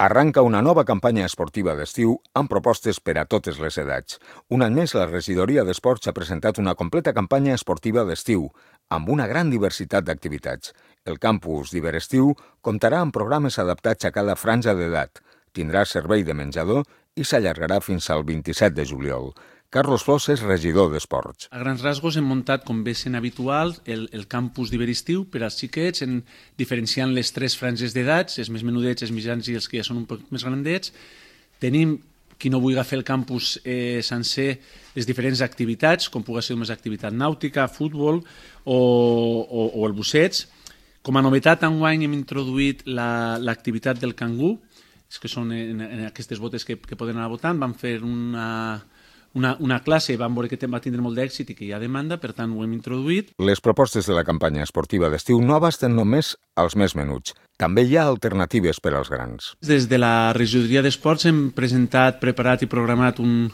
Arranca una nova campanya esportiva d'estiu amb propostes per a totes les edats. Un any més, la Regidoria d'Esports ha presentat una completa campanya esportiva d'estiu, amb una gran diversitat d'activitats. El campus d'Iberestiu comptarà amb programes adaptats a cada franja d'edat, tindrà servei de menjador i s'allargarà fins al 27 de juliol. Carlos Flors és regidor d'Esports. A grans rasgos hem muntat, com bé sent habitual, el campus d'Iberestiu per als xiquets, diferenciant les tres franges d'edats, els més menudets, els mitjans i els que ja són un poc més grandets. Tenim, qui no vulgui fer el campus sencer, les diferents activitats, com pugui ser més activitat nàutica, futbol o el busseig. Com a novetat, enguany hem introduït l'activitat del cangú, que són en aquestes botes que poden anar votant. Vam fer una classe, vam veure que va tindre molt d'èxit i que hi ha demanda, per tant ho hem introduït. Les propostes de la campanya esportiva d'estiu no abasten només als més menuts. També hi ha alternatives per als grans. Des de la Regidoria d'Esports hem preparat i programat un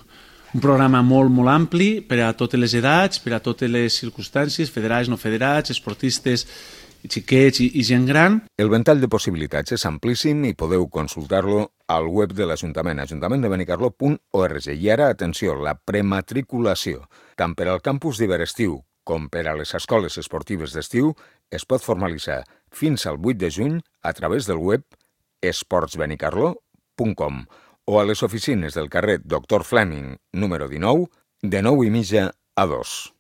programa molt ampli per a totes les edats, per a totes les circumstàncies, federats, no federats, esportistes, xiquets i gent gran. El ventall de possibilitats és amplíssim i podeu consultar-lo al web de l'Ajuntament, ajuntamendebenicarló.org. I ara, atenció, la prematriculació. Tant per al campus d'Iberestiu com per a les escoles esportives d'estiu es pot formalitzar fins al 8 de juny a través del web esportsbenicarló.com o a les oficines del carrer Dr. Fleming, número 19, de 9:30 a 2.